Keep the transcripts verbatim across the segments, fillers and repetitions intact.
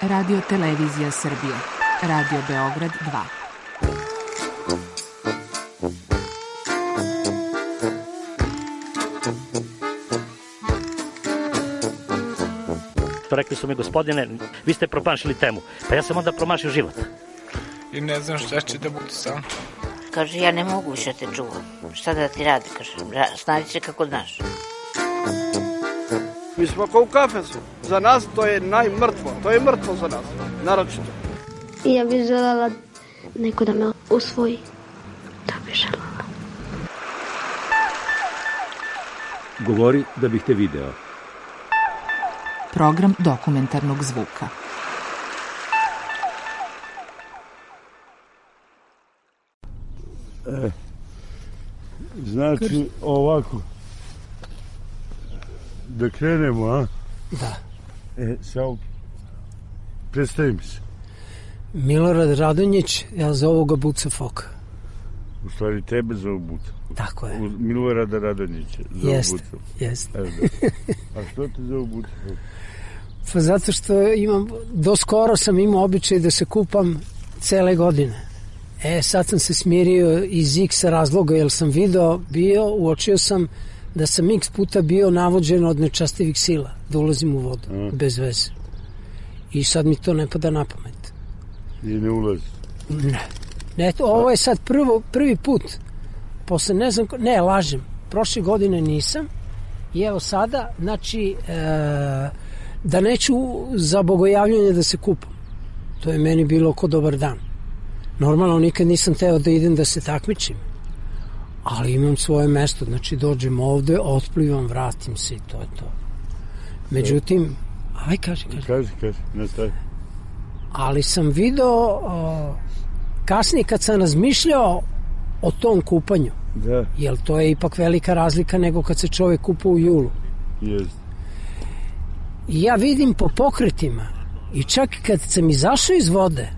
Radio Televizija Srbije, Radio Beograd dva. Rekli su mi, gospodine, vi ste promašili temu. Pa ja sam onda promašio život. I ne znam šta će da bude sam. Kaže, ja ne mogu više te čuvam. Šta da ti radi, kaže, snađi se kako znaš. Mi smo kao u kafesu. Za nas to je najmrtvo. To je mrtvo za nas, naročito. I ja bih želela neko da me usvoji. To bih želela. Govori da bih te video. Program dokumentarnog zvuka. E, znači ovako, da krenemo, a? Da. E, samo, predstavim se. Milorad Radonjić, ja zovu ga Buca Foka. U stvari tebe zovu Buca. Tako je. Milorada Radonjića zovu jest, Buca. Jest, jest. A što te zovu Buca Foka? Pa zato što imam, do skoro sam imao običaj da se kupam cele godine. E, sad sam se smirio iz X razloga, jer sam video, bio, uočio sam da sam X puta bio navođen od nečastivih sila, da ulazim u vodu, A. bez veze. I sad mi to ne pada na pamet. I ne ulazi? Ne. Ne, to, ovo je sad prvo, prvi put. Posle ne znam, ne, lažem. Prošle godine nisam. I evo sada, znači, e, da neću za bogojavljanje da se kupam. To je meni bilo ko dobar dan. Normalno nikad nisam teo da idem da se takmičim. Ali imam svoje mesto. Znači, dođem ovde, otplivam, vratim se i to je to. Međutim, aj, kaži, kaži. Kaži, kaži, nastavi. Ali sam video o, kasnije kad sam razmišljao o tom kupanju. Da. Jer to je ipak velika razlika nego kad se čovjek kupa u julu. Jest. I ja vidim po pokretima i čak kad sam izašao iz vode,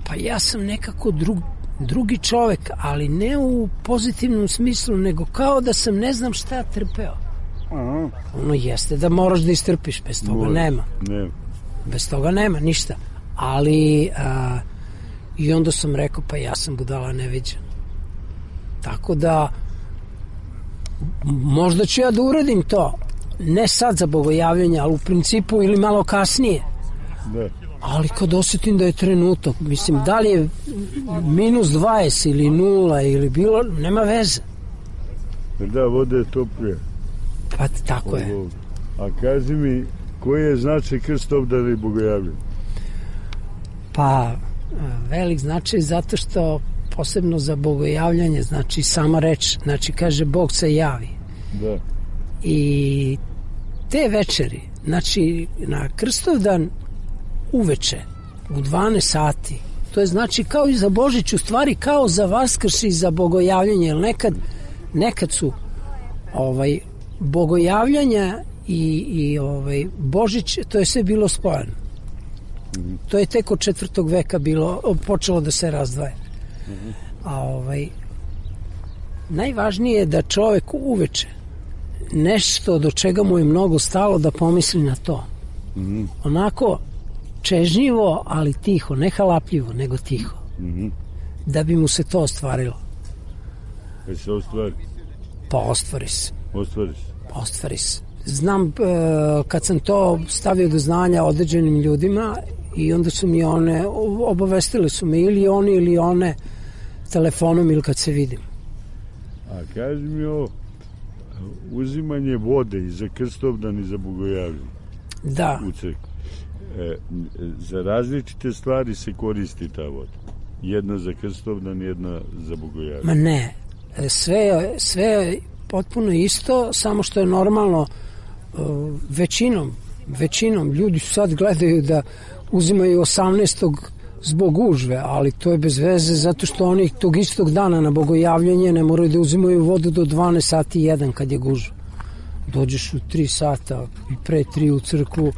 pa ja sam nekako drug, drugi čovjek, ali ne u pozitivnom smislu, nego kao da sam ne znam šta trpeo. Aha. Ono jeste da moraš da istrpiš, bez toga Mora. nema. nema. Bez toga nema ništa. Ali a, i onda sam rekao, pa ja sam budala neviđen. Tako da možda ću ja da uradim to. Ne sad za bogojavljanje, ali u principu ili malo kasnije. Da. Ali kad osjetim da je trenutak, mislim, da li je minus dvadeset ili nula ili bilo, nema veze. Da, voda je toplija. Pa tako je. A kaži mi, koji je značaj krstobdana i bogojavljanja? Pa, velik značaj zato što posebno za bogojavljanje, znači sama reč, znači kaže Bog se javi. Da. I te večeri, znači na Krstovdan uveče u dvanaest sati, to je znači kao i za Božić, u stvari kao za Vaskrš i za bogojavljanje, jer nekad, nekad su ovaj, bogojavljanja i, i ovaj, Božić, to je sve bilo spojeno. Mm-hmm. To je tek od četvrtog veka bilo, počelo da se razdvaja. Mm-hmm. A ovaj, najvažnije je da čovek uveče nešto do čega mu je mnogo stalo da pomisli na to. Mm-hmm. Onako čežnjivo, ali tiho, ne halapljivo, nego tiho. Mm-hmm. Da bi mu se to ostvarilo. Kad se ostvari? Pa ostvari se. Ostvari se? Ostvari se. Znam, kad sam to stavio do znanja određenim ljudima i onda su mi one, obavestile su me ili oni ili one telefonom ili kad se vidim. A kaži mi ovo, uzimanje vode i za Krstovdan i za bogojavljanje. Da. U crkvi. E, za različite stvari se koristi ta voda. Jedna za Krstovdan, jedna za bogojavljanje. Ma ne, sve, sve je potpuno isto, samo što je normalno većinom, većinom ljudi sad gledaju da uzimaju osamnaestog zbog gužve, ali to je bez veze zato što oni tog istog dana na bogojavljanje ne moraju da uzimaju vodu do dvanaest sati jedan kad je gužva. Dođeš u tri sata i pre tri u crkvu,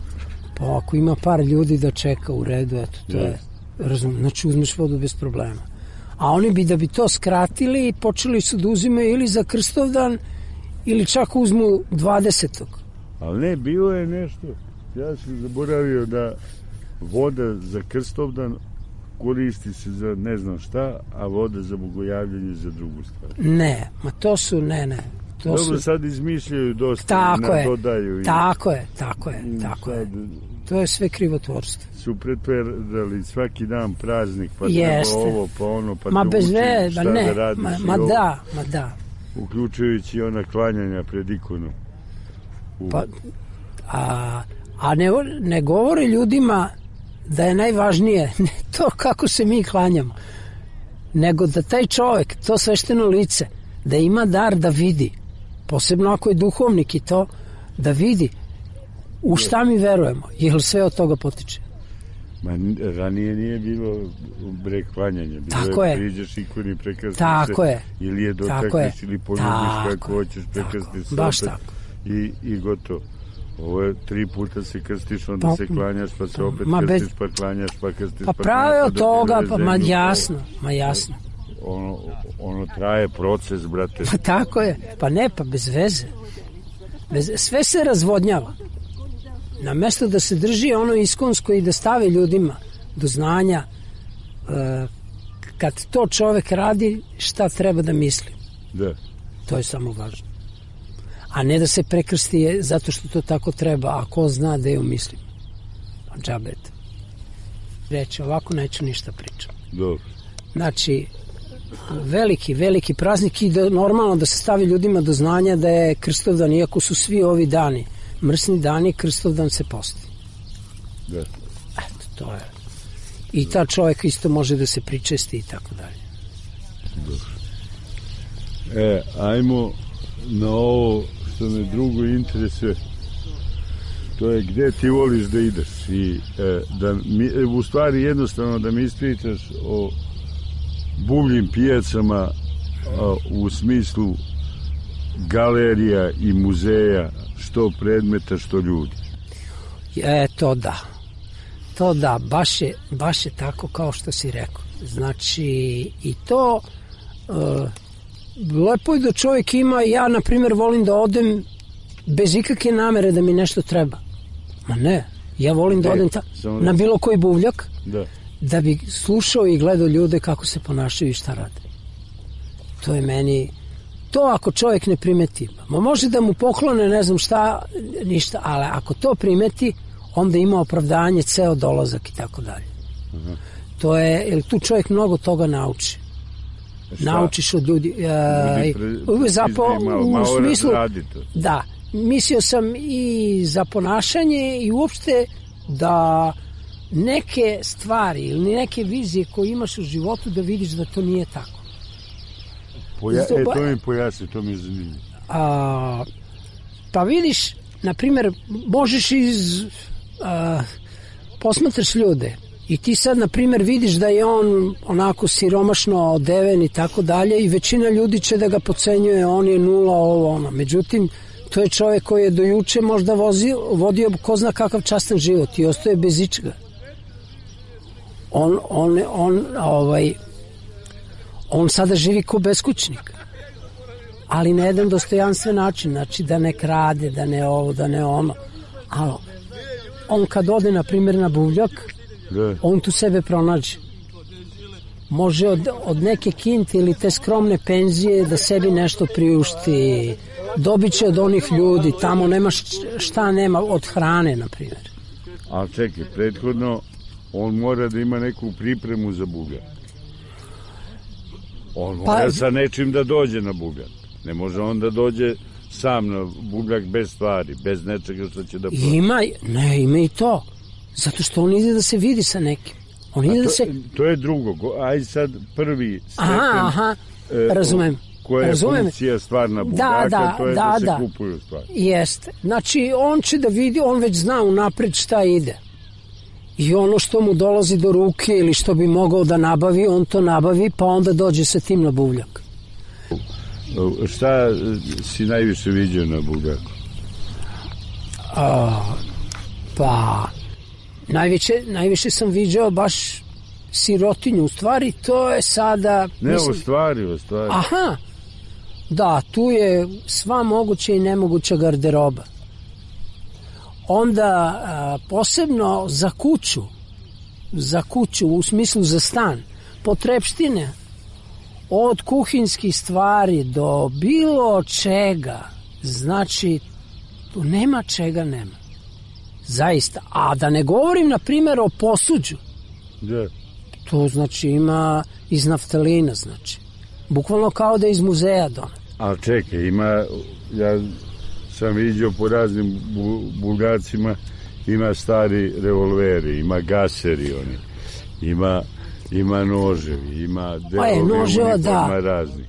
pa ako ima par ljudi da čeka u redu, eto, to je, razum, znači uzmeš vodu bez problema. A oni bi da bi to skratili, počeli su da uzimaju ili za Krstovdan ili čak uzmu dvadesetog. Ali ne, bilo je nešto, ja sam zaboravio da voda za Krstovdan koristi se za ne znam šta, a voda za bogojavljanje za drugu stvar. Ne, ma to su, ne, ne. To Dobro, su... sad izmišljaju dosta, tako je, dodaju. I... Tako je, tako je, tako sad... je. To je sve krivotvorstvo. Su pretverali svaki dan praznik, pa Jeste. treba ovo, pa ono, pa ma te bez uči ve, šta ne, da radiš. Ma, i ma ovo, da, ma da. uključujući ona klanjanja pred ikonom. U... Pa, a, a ne, ne govore ljudima da je najvažnije ne to kako se mi klanjamo, nego da taj čovjek, to svešteno lice, da ima dar da vidi, posebno ako je duhovnik i to, da vidi u šta mi verujemo, jer sve od toga potiče. Ma, ranije nije bilo bre klanjanja, bilo tako je, je. priđeš ikoni, prekrstiš tako se, je. ili je dotakneš, ili poljubiš kako hoćeš, prekrstiš se baš opet tako. I, i gotovo. Ovo je tri puta se krstiš, onda pa, se klanjaš, pa se opet ma krstiš, bez... pa klanjaš, pa krstiš, pa pa prave od toga, pa ma zemlju, jasno, ma jasno. Ono, ono traje proces, brate. Pa tako je, pa ne, pa bez veze. Bez, sve se razvodnjava. Na mesto da se drži ono iskonsko i da stave ljudima do znanja e, kad to čovek radi, šta treba da misli. Da. To je samo važno. A ne da se prekrsti je zato što to tako treba, a ko zna da je umislim. Pa džabet. Reći, ovako neću ništa pričam. Dobro. Znači, veliki, veliki praznik i da, normalno da se stavi ljudima do znanja da je Krstovdan, iako su svi ovi dani mrsni dani, Krstovdan se posti. Da. Eto, to je. I ta čovjek isto može da se pričesti i tako dalje. Dobro. E, ajmo na ovo što me drugo interesuje. To je gde ti voliš da ideš i e, da mi, u stvari jednostavno da mi ispričaš o buvljim pijacama a, u smislu galerija i muzeja, što predmeta, što ljudi. E, to da. To da, baš je, baš je tako kao što si rekao. Znači, i to e, lepo je da čovjek ima, ja na primjer volim da odem bez ikakve namere da mi nešto treba. Ma ne, ja volim da odem ta, na bilo koji buvljak da. da bi slušao i gledao ljude kako se ponašaju i šta rade. To je meni, to ako čovjek ne primeti, ma može da mu poklone ne znam šta, ništa, ali ako to primeti, onda ima opravdanje ceo dolazak i tako dalje. To je, jer tu čovjek mnogo toga nauči. Šta? Naučiš od ljudi, e, pre, zapo, malo, u malo smislu, radito. da, mislio sam i za ponašanje i uopšte da neke stvari ili neke vizije koje imaš u životu da vidiš da to nije tako. Poja, e, to mi pojasni, to mi je zanimljivo. A, pa vidiš, na primjer, možeš iz a, posmatraš ljude i ti sad, na primjer, vidiš da je on onako siromašno odeven i tako dalje i većina ljudi će da ga pocenjuje, on je nula, ovo ono. Međutim, to je čovjek koji je do juče možda vozio, vodio ko zna kakav častan život i ostaje bez ičega. On, on, on, ovaj, on sada živi ko beskućnik, ali na jedan dostojanstven način, znači da ne krade, da ne ovo, da ne ono. Ali on kad ode, na primjer, na buvljak, da. On tu sebe pronađe. Može od, od neke kinte ili te skromne penzije da sebi nešto priušti, dobit će od onih ljudi, tamo nema šta nema, od hrane, na primjer. Ali čekaj, prethodno on mora da ima neku pripremu za buvljak. On mora pa, sa nečim da dođe na buvljak. Ne može on da dođe sam na buvljak bez stvari, bez nečega što će da proći. Ima, ne, ima i to. Zato što on ide da se vidi sa nekim. On ide to, da se... to je drugo. Aj sad prvi stepen... Aha, aha, razumem. Koja je razumem. funkcija stvarna buvljaka, da, da, to je da, da se da. kupuju stvari. Jeste. Znači, on će da vidi, on već zna unapred šta ide. I ono što mu dolazi do ruke ili što bi mogao da nabavi, on to nabavi, pa onda dođe sa tim na buvljak. Šta si najviše vidio na buvljaku? A, pa, najviše, najviše sam vidio baš sirotinju. U stvari, to je sada... Ne, mislim, u stvari, u stvari. Aha, da, tu je sva moguća i nemoguća garderoba. onda a, posebno za kuću, za kuću u smislu za stan, potrepštine, od kuhinskih stvari do bilo čega, znači tu nema čega nema. Zaista. A da ne govorim, na primjer, o posuđu. Da. To znači ima iz naftalina, znači. Bukvalno kao da je iz muzeja donet. Ali čekaj, ima, ja sam vidio po raznim bu, Bulgarcima, ima stari revolveri, ima gaseri oni, ima, ima noževi, ima delovi noževa, uniforma da. raznih,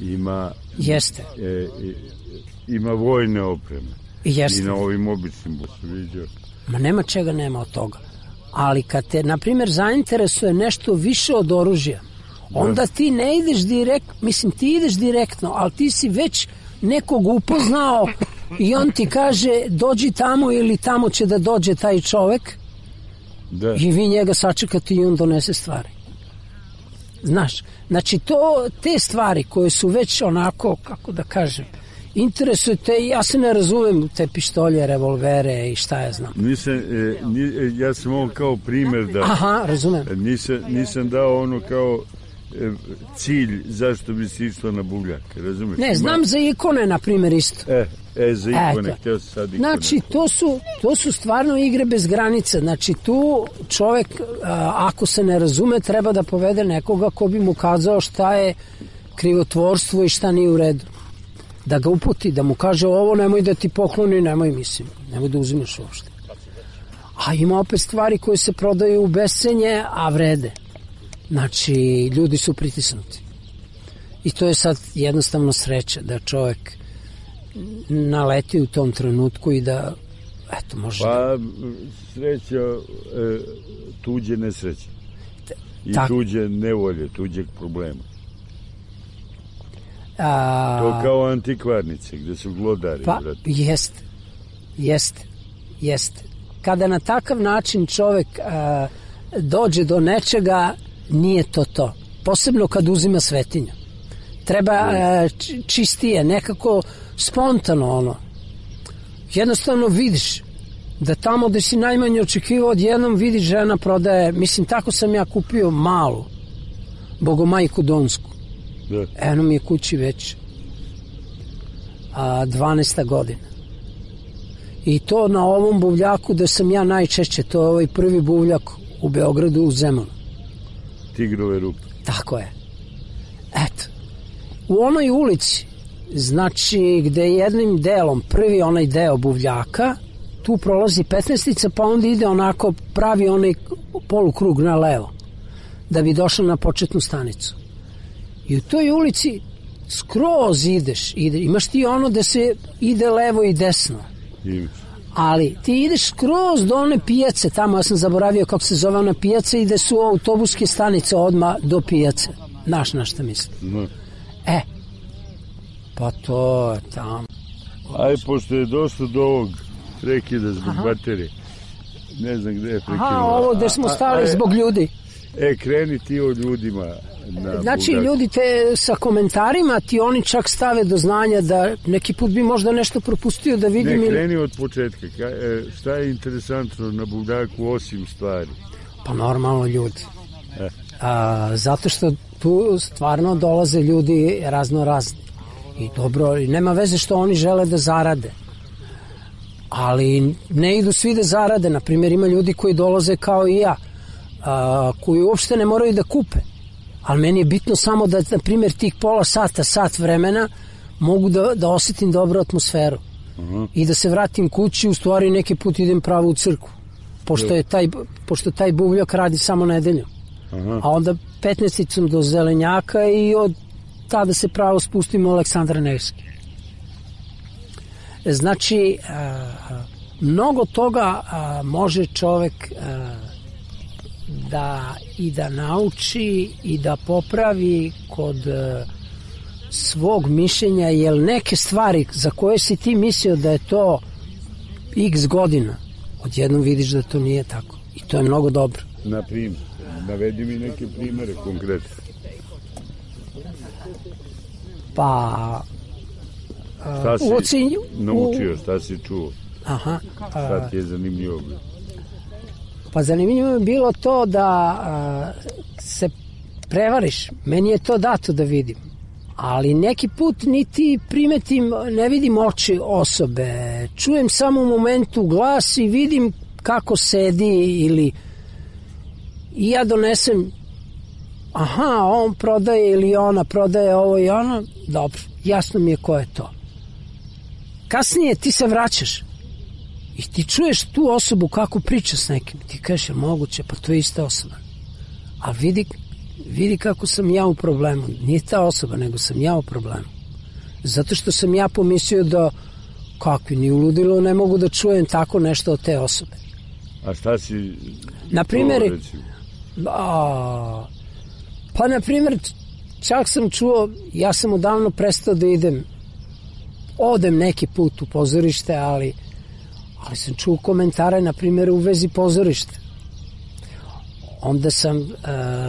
ima, Jeste. E, e, ima vojne opreme. Jeste. I na ovim običnim sam vidio. Ma nema čega nema od toga. Ali kad te, na primjer, zainteresuje nešto više od oružja, onda ti ne ideš direkt, mislim ti ideš direktno, ali ti si već nekog upoznao i on ti kaže dođi tamo ili tamo će da dođe taj čovek, da. I vi njega sačekate i on donese stvari. Znaš, znači to, te stvari koje su već onako, kako da kažem, interesuje te, ja se ne razumem u te pištolje, revolvere i šta ja znam. Nisam, e, ni, ja sam ovo kao primjer da... Aha, razumem. Nisam, nisam dao ono kao e, cilj zašto bi se išlo na Bugljak, razumiješ? Ne, znam Ma... za ikone, na primjer, isto. E, e za ikone, Eto. htio sam sad ikone. Znači, to su, to su stvarno igre bez granica. Znači, tu čovek, a, ako se ne razume, treba da povede nekoga ko bi mu kazao šta je krivotvorstvo i šta nije u redu. Da ga uputi, da mu kaže ovo nemoj da ti pokloni, nemoj mislim, nemoj da uzimaš uopšte. A ima opet stvari koje se prodaju u bescenje, a vrede. Znači, ljudi su pritisnuti. I to je sad jednostavno sreća da čovjek naleti u tom trenutku i da, eto, može... Pa, sreća, e, tuđe nesreće. I tak. Tuđe nevolje, tuđeg problema. A... To kao antikvarnice, gde su glodari. Pa, jeste, jeste, jeste. Kada na takav način čovek a, dođe do nečega, nije to to. Posebno kad uzima svetinju. Treba a, čistije, nekako spontano ono. Jednostavno vidiš da tamo gde si najmanje očekivao, odjednom vidiš žena prodaje, mislim, tako sam ja kupio malu Bogomajku Donsku. Da. Eno mi je kući već a, dvanaesta godina. I to na ovom buvljaku da sam ja najčešće, to je ovaj prvi buvljak u Beogradu u Zemunu. Tigrove rupe. Tako je. Eto. U onoj ulici, znači gde je jednim delom, prvi onaj deo buvljaka, tu prolazi petnaestica, pa onda ide onako, pravi onaj polukrug na levo, da bi došao na početnu stanicu. I u toj ulici skroz ideš, ide, imaš ti ono da se ide levo i desno. Imaš. Ali ti ideš skroz do one pijace, tamo ja sam zaboravio kako se zove ona pijaca i da su autobuske stanice odmah do pijace. Znaš na šta mislim? No. E, pa to je tamo. Aj, pošto je došlo do ovog prekida zbog Aha. baterije, ne znam gde je prekinuo. Aha, ovo gde smo stali a, a, zbog ljudi. E, kreni ti o ljudima. Na znači, Bulgarku. Ljudi te sa komentarima ti oni čak stave do znanja da neki put bi možda nešto propustio da vidim. Ne, kreni od početka. Ka, e, šta je interesantno na Bulgarku osim stvari? Pa normalno ljudi. E. A, zato što tu stvarno dolaze ljudi razno razni. I dobro, i nema veze što oni žele da zarade. Ali ne idu svi da zarade. Naprimjer, ima ljudi koji dolaze kao i ja, a, koji uopšte ne moraju da kupe. Ali meni je bitno samo da, na primjer, tih pola sata, sat vremena mogu da, da osjetim dobru atmosferu. Uh-huh. I da se vratim kući, u stvari neki put idem pravo u crkvu. Pošto, je taj, pošto taj buvljak radi samo nedeljom. Uh-huh. A onda petnaesticom do Zelenjaka i od tada se pravo spustimo u Aleksandra Nevski. Znači, a, mnogo toga a, može čovek a, da i da nauči i da popravi kod a, svog mišljenja, jer neke stvari za koje si ti mislio da je to x godina, odjednom vidiš da to nije tako. I to je mnogo dobro. Na primjer, navedi mi neke primere konkretne. Pa šta si ocenju, naučio, šta si čuo? Aha. Šta ti je zanimljivo? Pa zanimljivo je bilo to da a, se prevariš. Meni je to dato da vidim. Ali neki put niti primetim, ne vidim oči osobe. Čujem samo u momentu glas i vidim kako sedi ili i ja donesem aha, on prodaje ili ona prodaje ovo i ono. Dobro, jasno mi je ko je to. Kasnije ti se vraćaš i ti čuješ tu osobu kako priča s nekim. Ti kažeš, je moguće, pa to je ista osoba. A vidi, vidi kako sam ja u problemu. Nije ta osoba, nego sam ja u problemu. Zato što sam ja pomislio da kakvi, ni u ludilu ne mogu da čujem tako nešto od te osobe. A šta si... Na primjer, a, pa na primjer, čak sam čuo, ja sam odavno prestao da idem, odem neki put u pozorište, ali, ali sam čuo komentare, na primjer, u vezi pozorišta. Onda sam uh,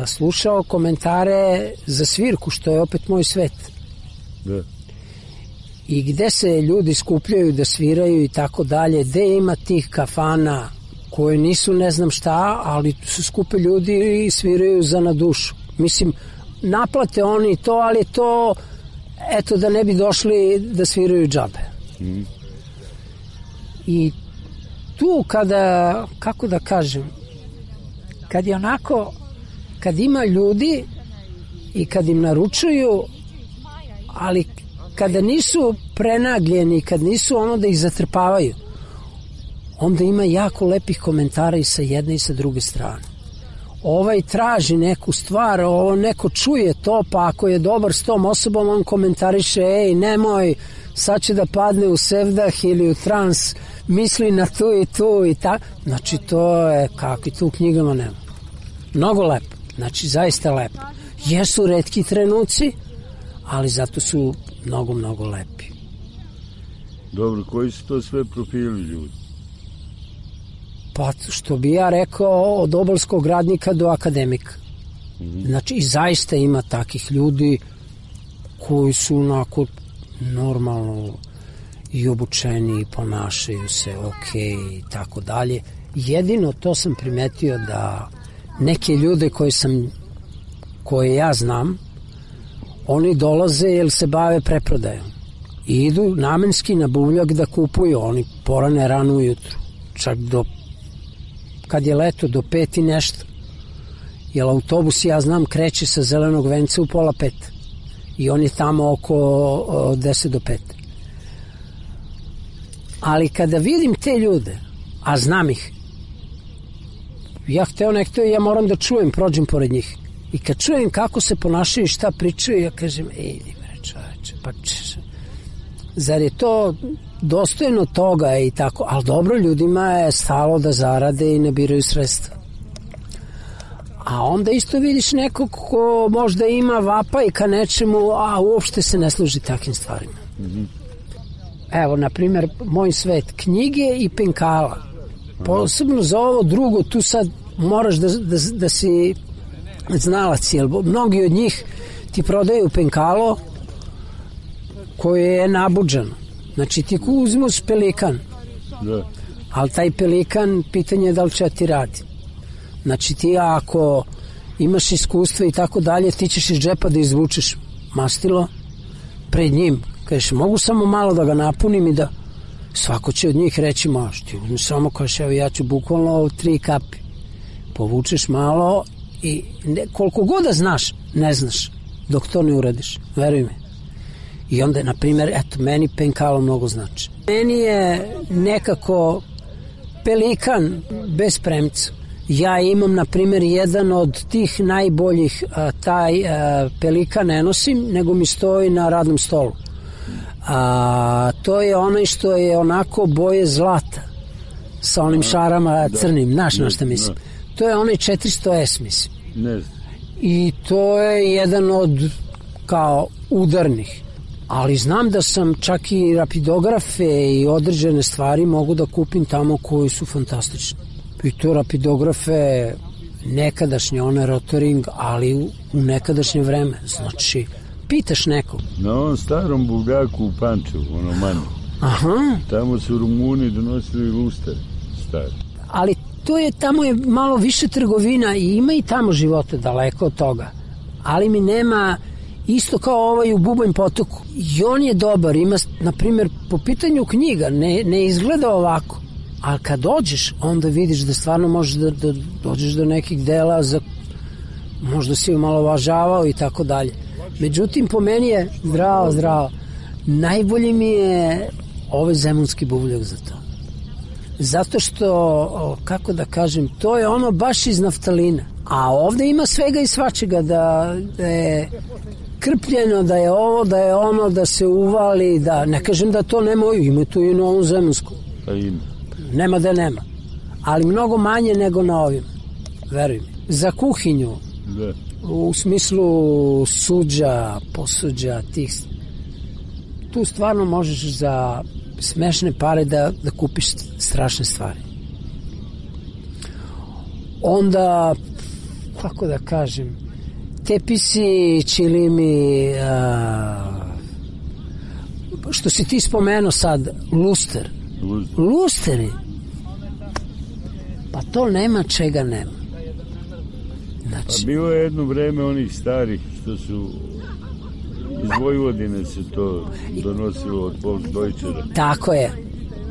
slušao komentare za svirku, što je opet moj svet. Da. I gde se ljudi skupljaju da sviraju i tako dalje, gde ima tih kafana koje nisu ne znam šta, ali su skupe ljudi i sviraju za na dušu. Mislim, naplate oni to, ali to, eto, da ne bi došli da sviraju džabe. Mm. I tu kada, kako da kažem, kad je onako, kad ima ljudi i kad im naručuju, ali kada nisu prenagljeni, kad nisu ono da ih zatrpavaju, onda ima jako lepih komentara i sa jedne i sa druge strane. Ovaj traži neku stvar, ovo neko čuje to, pa ako je dobar s tom osobom, on komentariše, ej, nemoj, sad će da padne u sevdah ili u trans, misli na tu i tu i ta. Znači, to je kakvi tu u knjigama nema. Mnogo lepo, znači, zaista lepo. Jesu retki trenuci, ali zato su mnogo, mnogo lepi. Dobro, koji su to sve profili ljudi? Pa, što bi ja rekao, od obalskog radnika do akademika. Mm-hmm. Znači, i zaista ima takih ljudi koji su onako normalno i obučeni, i ponašaju se ok i tako dalje. Jedino to sam primetio da neke ljude koje sam, koje ja znam, oni dolaze jer se bave preprodajom. I idu namenski na buvljak da kupuju, oni porane rano ujutru, čak do kad je leto do pet i nešto, jer autobus, ja znam, kreće sa Zelenog venca u pola pet i on je tamo oko o, deset do pet. Ali kada vidim te ljude, a znam ih, ja hteo nekto i ja moram da čujem, prođem pored njih i kad čujem kako se ponašaju i šta pričaju, ja kažem, ej, bre čoveče, pa če, zar je to dostojno toga i tako, ali dobro, ljudima je stalo da zarade i nabiraju sredstva. A onda isto vidiš nekog ko možda ima vapaj ka nečemu, a uopšte se ne služi takvim stvarima. Mm-hmm. Evo, na primjer, moj svet, knjige i penkala. Posebno za ovo drugo, tu sad moraš da, da, da si znalac, jer mnogi od njih ti prodaju penkalo koje je nabuđano. Znači, ti uzmeš pelikan, da. Ali taj pelikan, pitanje je da li će ti radi. Znači, ti ako imaš iskustva i tako dalje, ti ćeš iz džepa da izvučeš mastilo pred njim. Kažeš, mogu samo malo da ga napunim i da svako će od njih reći, maš, ti uzmeš samo, kažeš, evo ja ću bukvalno tri kapi. Povučeš malo i ne, koliko god da znaš, ne znaš dok to ne uradiš, veruj me. I onda, na primjer, eto, meni penkalo mnogo znači. Meni je nekako pelikan bez premca. Ja imam, na primjer, jedan od tih najboljih, a, taj a, pelikan ne nosim, nego mi stoji na radnom stolu. A, to je onaj što je onako boje zlata, sa onim šarama crnim, znaš na šta mislim. To je onaj četiristo S, mislim. Ne. I to je jedan od, kao, udarnih. Ali znam da sam čak i rapidografe i određene stvari mogu da kupim tamo koji su fantastični. I to rapidografe nekadašnje, one rotoring, ali u, u nekadašnje vreme. Znači, pitaš nekog. Na onom starom buvljaku u Pančevu, ono manje. Aha. Tamo su Rumuni donosili luster stari. Ali to je, tamo je malo više trgovina i ima i tamo života daleko od toga. Ali mi nema, isto kao ovaj u Bubanj potoku. I on je dobar, ima, na primjer, po pitanju knjiga, ne, ne izgleda ovako. Ali kad dođeš, onda vidiš da stvarno možeš da, da dođeš do nekih dela, za, možda si omalovažavao i tako dalje. Međutim, po meni je zdravo, zdravo. Najbolji mi je ovaj zemunski buvljak za to. Zato što, kako da kažem, to je ono baš iz naftalina. A ovde ima svega i svačega, da, da je krpljeno, da je ovo, da je ono, da se uvali, da ne kažem da to nema, ima tu i na ovom zemunskom. Pa ima. Nema da nema. Ali mnogo manje nego na ovim. Veruj mi. Za kuhinju, da. U smislu suđa, posuđa, tih, tu stvarno možeš za smešne pare da, da kupiš strašne stvari. Onda, kako da kažem, tepisi, čilimi, a, što si ti spomenuo sad, luster. Luster. Lusteri. Pa to nema čega nema. Znači, pa bilo je jedno vreme onih starih što su iz Vojvodine se to donosilo od Volksdeutschera. Tako je.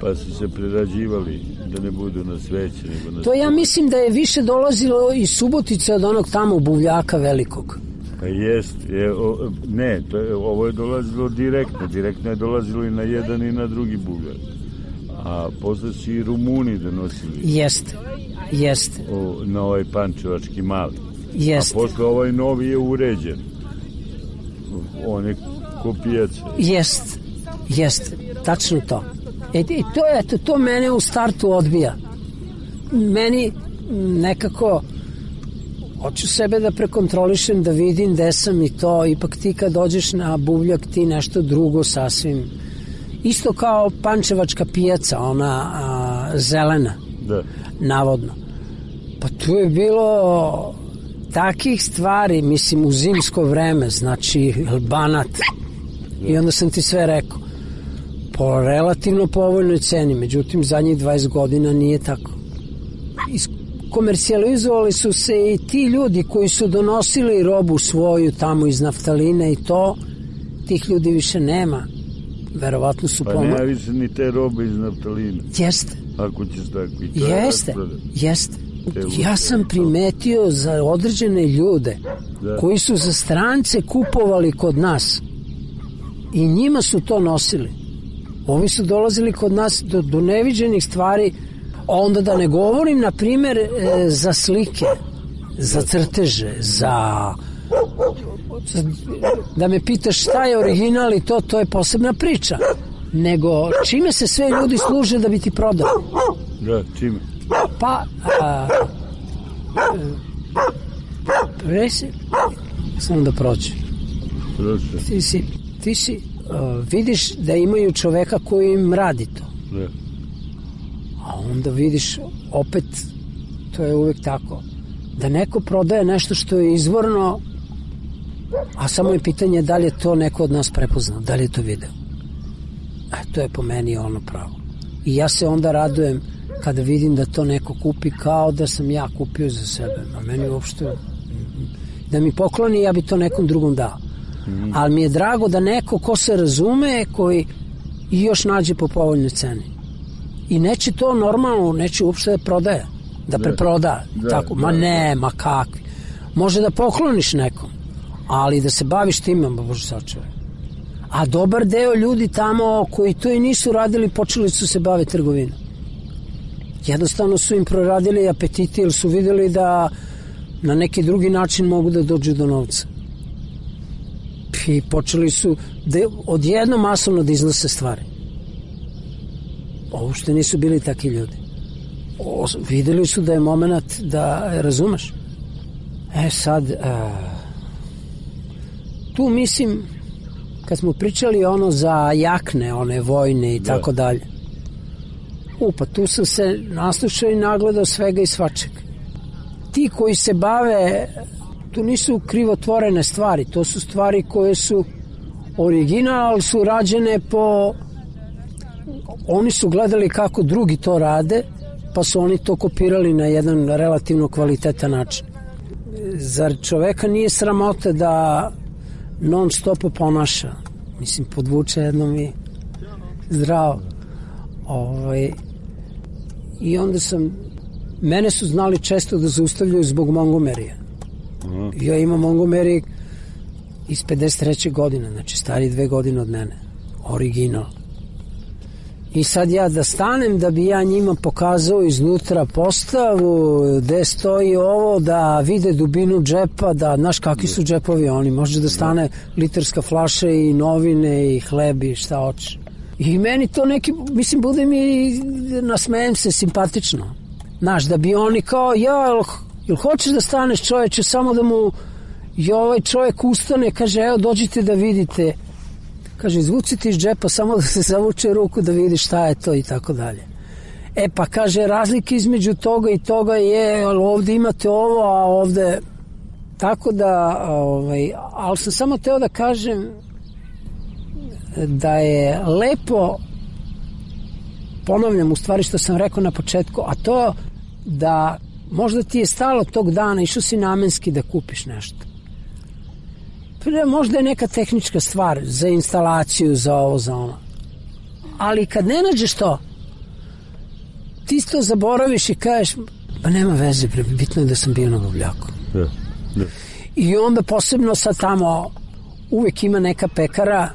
Pa su se prerađivali da ne budu na sveće nego na to ja stolu. Mislim da je više dolazilo iz Subotice od onog tamo buvljaka velikog. Pa jest, je, o, ne, to je, ovo je dolazilo direktno, direktno je dolazilo i na jedan i na drugi buvljak. A posle su i Rumuni donosili. Jeste, jeste. O, na ovaj pančevački mali. Jeste. A posle ovaj novi je uređen. On je ko pijaca. Jeste, jeste, tačno to. E, i to, eto, to mene u startu odbija. Meni nekako hoću sebe da prekontrolišem, da vidim gde sam i to, ipak ti kad dođeš na buvljak ti nešto drugo sasvim. Isto kao pančevačka pijaca, ona a, zelena, da. Navodno. Pa tu je bilo takih stvari, mislim, u zimsko vreme, znači banat. Da. I onda sam ti sve rekao. Po relativno povoljnoj ceni, međutim, zadnjih dvadeset godina nije tako. Komercijalizovali su se i ti ljudi koji su donosili robu svoju tamo iz naftalina i to, tih ljudi više nema. Verovatno su pa pomoći. nema više ni te robe iz naftalina. Jeste. Ako ćeš tako i to jeste, jeste. Ja sam primetio za određene ljude da. Koji su za strance kupovali kod nas i njima su to nosili. Ovi su dolazili kod nas do, do neviđenih stvari, onda da ne govorim, na primjer, e, za slike, za crteže, za... Da me pitaš šta je original i to, to je posebna priča. Nego čime se sve ljudi služe da bi ti prodali? Da, čime? Pa, a, presi, samo da prođe. Prođe. Ti si, ti si a, vidiš da imaju čoveka koji im radi to. Da. A onda vidiš, opet, to je uvek tako, da neko prodaje nešto što je izvorno, a samo je pitanje da li je to neko od nas prepoznao, da li je to video. E, to je po meni ono pravo. I ja se onda radujem kada vidim da to neko kupi kao da sam ja kupio za sebe. A meni uopšte, da mi pokloni, ja bi to nekom drugom dao. Mm. Ali mi je drago da neko ko se razume, koji i još nađe po povoljnoj ceni. I neće to normalno, neće uopšte da prodaje, da preproda. Da, tako. Ma ne, ma kakvi. Može da pokloniš nekom, ali da se baviš time, ma bože sačuvaj. A dobar deo ljudi tamo koji to i nisu radili, počeli su se baviti trgovinom. Jednostavno su im proradili apetiti jer su videli da na neki drugi način mogu da dođu do novca. I počeli su da odjedno masovno da iznose stvari. Ovo što nisu bili takvi ljudi. O, videli su da je moment da razumeš. E sad, a, tu mislim, kad smo pričali ono za jakne, one vojne i da. Tako dalje. U, pa tu sam se naslušao i nagledao svega i svačeg. Ti koji se bave, tu nisu krivotvorene stvari, to su stvari koje su original, su rađene po oni su gledali kako drugi to rade, pa su oni to kopirali na jedan relativno kvalitetan način. Zar čoveka nije sramota da non stop ponaša? Mislim, podvuče jednom i zdravo. Ovaj, I onda sam, mene su znali često da zaustavljaju zbog Montgomerya. Uh-huh. Ja imam Montgomery iz pedeset treće godine, znači stari dve godine od mene. Original. I sad ja da stanem da bi ja njima pokazao iznutra postavu gde stoji ovo, da vide dubinu džepa, da znaš kakvi su džepovi oni, može da stane litarska flaša i novine i hleb i šta hoće. I meni to neki, mislim, bude mi, nasmejem se, simpatično. Znaš, da bi oni kao, ja, jel, jel hoćeš da staneš čoveče, samo da mu i ovaj čovjek ustane, kaže, evo dođite da vidite. Kaže, izvucite iz džepa, samo da se zavuče ruku da vidi šta je to i tako dalje. E pa kaže, razlika između toga i toga je, ovde imate ovo, a ovde... Tako da, ovaj, ali sam samo teo da kažem da je lepo, ponavljam u stvari što sam rekao na početku, a to da možda ti je stalo tog dana, išao si namenski da kupiš nešto. Možda je neka tehnička stvar za instalaciju, za ovo, za ono. Ali kad ne nađeš to, ti to zaboraviš i kažeš, pa nema veze, bitno je da sam bio na Bavljaku. Da, da. I onda posebno sad tamo uvek ima neka pekara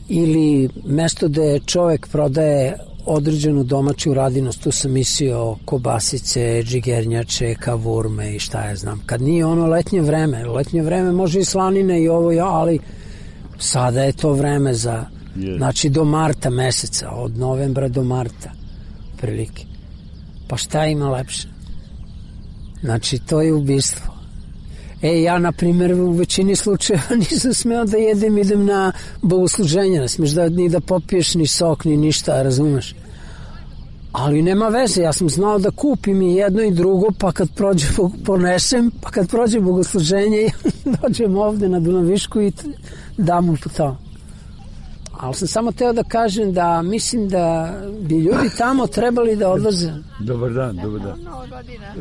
ili mesto gde čovek prodaje određenu domaću radinost, tu sam mislio kobasice, džigernjače, kavurme i šta ja znam. Kad nije ono letnje vreme, letnje vreme može i slanine i ovo, ali sada je to vreme za, yes. Znači do marta meseca, od novembra do marta, prilike. Pa šta ima lepše? Znači, to je ubistvo. E, ja, na primjer, u većini slučajeva nisam smeo da jedem, idem na bogosluženje, ne smiješ da, ni da popiješ ni sok, ni ništa, razumeš? Ali nema veze, ja sam znao da kupim i jedno i drugo, pa kad prođe, ponesem, pa kad prođe bogosluženje, dođem ovde na Dunavišku i dam mu to. Ali sam samo teo da kažem da mislim da bi ljudi tamo trebali da odlaze. Dobar dan, dobar dan.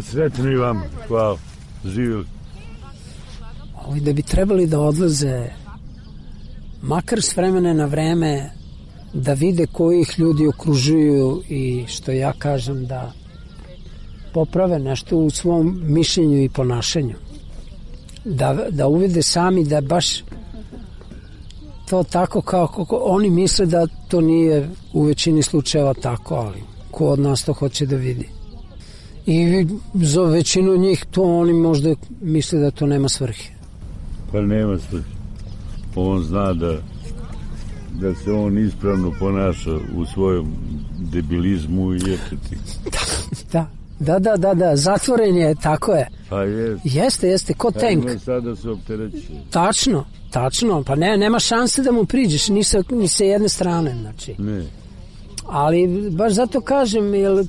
Sretno i vam, hvala, živjeli. Da bi trebali da odlaze makar s vremena na vreme da vide koji ih ljudi okružuju i što ja kažem da poprave nešto u svom mišljenju i ponašanju. Da, da uvide sami da baš to tako kao kako oni misle da to nije u većini slučajeva tako, ali ko od nas to hoće da vidi. I za većinu njih to oni možda misle da to nema svrhe. Pa nema svrhe. On zna da da se on ispravno ponaša u svojom debilizmu i eteti. Da, da, da, da, da, zatvoren je, tako je. Pa jest. Jeste, jeste, ko tank. Ima sada se optereće. Tačno, tačno, pa ne, nema šanse da mu priđeš, ni sa, ni sa jedne strane, znači. Ne. Ali baš zato kažem, jel,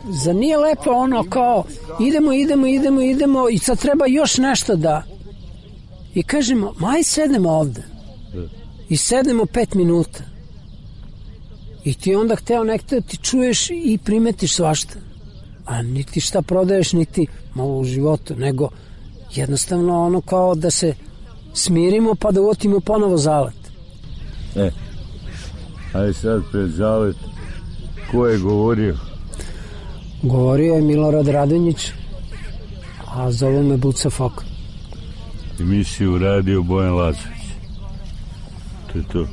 za nije lepo ono kao idemo, idemo, idemo, idemo i sad treba još nešto da i kažemo, maj sednemo ovde. Da. I sednemo pet minuta. I ti onda hteo nekto ti čuješ i primetiš svašta. A niti šta prodaješ, niti malo u životu, nego jednostavno ono kao da se smirimo pa da uvotimo ponovo zalet. E, aj sad pred zalet, ko je govorio? Govorio je Milorad Radonjić, a zove me Buca Fok. Emisiju radio Bojan Lazović. To je to.